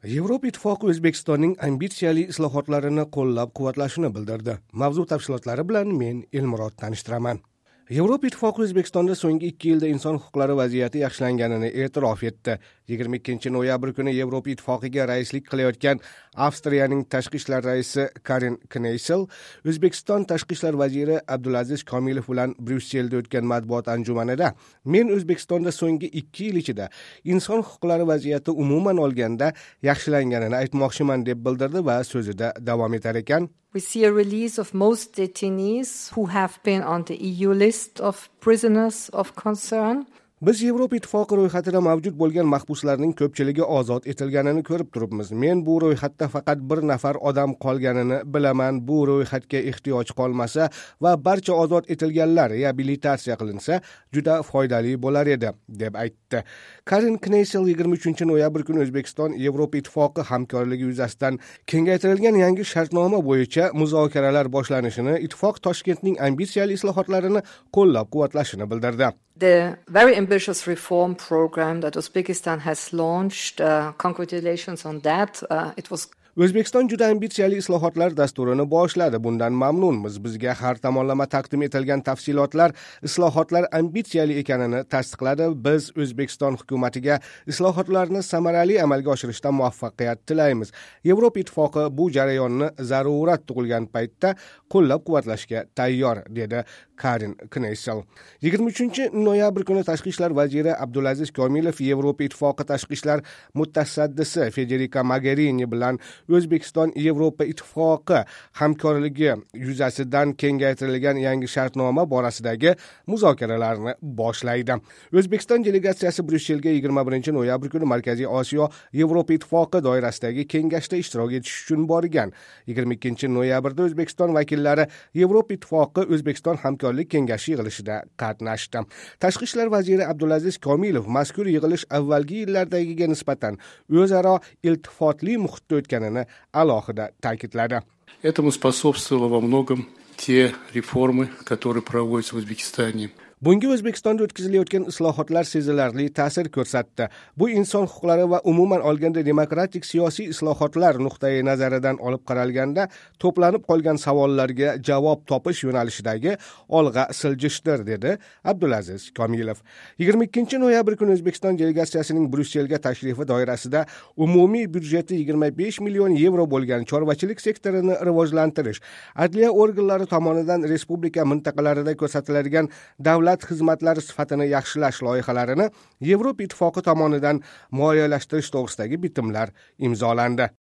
Yevropa Ittifoqi O'zbekistonning ambitsiyali islohotlarini qo'llab-quvvatlashini bildirdi. Mavzu tafsilotlari bilan men Elmurod tanishtiraman. Yevropa Ittifoqi O'zbekistonda so'nggi 2 yilda inson huquqlari vaziyati yaxshilanganini e'tirof etdi. 22 noyabr kuni Yevropa Ittifoqiga raislik qilayotgan Avstriyaning tashqi ishlar raisi Karin Kneysel O'zbekiston tashqi ishlar vaziri Abdulaziz Komilov bilan Bryusselda o'tgan matbuot anjumanida men O'zbekistonda so'nggi 2 yil ichida inson huquqlari vaziyati umuman olganda yaxshilanganini aytmoqchiman deb bildirdi va so'zida davom etar ekan. We see a release of most detainees who have been on the EU list of prisoners of concern. Biz Yevropa Ittifoqi ro'yxatida mavjud bo'lgan mahbuslarning ko'pchiligi ozod etilganini ko'rib turibmiz. Men bu ro'yxatda faqat bir nafar odam qolganini bilaman. Bu ro'yxatga ehtiyoj qolmasa va barcha ozod etilganlar reabilitatsiya qilinsa, juda foydali bo'lar edi, deb aytdi. Karin Kneysel 23 noyabr kuni O'zbekiston Yevropa Ittifoqi hamkorligi yuzasidan kengaytirilgan yangi shartnoma bo'yicha muzokaralar boshlanishini, ittifoq Toshkentning ambitsiyali islohotlarini qo'llab-quvvatlashini bildirdi. The very ambitious reform program that Uzbekistan has launched, congratulations on that. It was O'zbekiston juda ambitsiyali islohotlar dasturini boshladi. Bundan mamnunmiz. Bizga har tomonlama taqdim etilgan tafsilotlar islohotlar ambitsiyali ekanini tasdiqladi. Biz O'zbekiston hukumatiga islohotlarni samarali amalga oshirishda muvaffaqiyat tilaymiz. Yevropa Ittifoqi bu jarayonni zarurat tug'ilgan paytda qo'llab-quvvatlashga tayyor, dedi Karin Kneysel. 23 noyabr kuni Tashqi ishlar vaziri Abdulaziz Komilov Yevropa Ittifoqi tashqi ishlar mutasaddisi Federica Mogherini bilan O'zbekiston Yevropa Ittifoqi hamkorligi yuzasidan kengaytirilgan yangi shartnoma borasidagi muzokaralarni boshlaydi. O'zbekiston delegatsiyasi Bryusselga 21 noyabr kuni Markaziy Osiyo Yevropa Ittifoqi doirasidagi kengashda ishtirok etish uchun borgan. 22 noyabrda O'zbekiston vakillari Yevropa Ittifoqi O'zbekiston hamkorlik kengashi yig'ilishida qatnashdi. Tashqi ishlar vaziri Abdulaziz Komilov mazkur yig'ilish avvalgi yillardagiga nisbatan o'zaro iltifotli muhitda o'tganini alohida ta'kidladi. Этому способствовало во многом те реформы, которые проводятся в Узбекистане. Bunga O'zbekistonda o'tkazilayotgan islohotlar sezilarli ta'sir ko'rsatdi. Bu inson huquqlari va umuman olganda demokratik siyosiy islohotlar nuqtai nazaridan olib qaralganda to'planib qolgan savollarga javob topish yo'nalishidagi olg'a siljishdir, dedi Abdulaziz Komilov. 22 noyabr kuni O'zbekiston delegatsiyasining Bryusselga tashrifi doirasida umumiy byudjeti 25 million yevro bo'lgan chorvachilik sektorini rivojlantirish, adliya organlari tomonidan respublika mintaqalarida ko'rsatiladigan davlat xizmatlari sifatini yaxshilash loyihalarini Yevropa Ittifoqi tomonidan moliyalashtirish to'g'risidagi bitimlar imzolandi.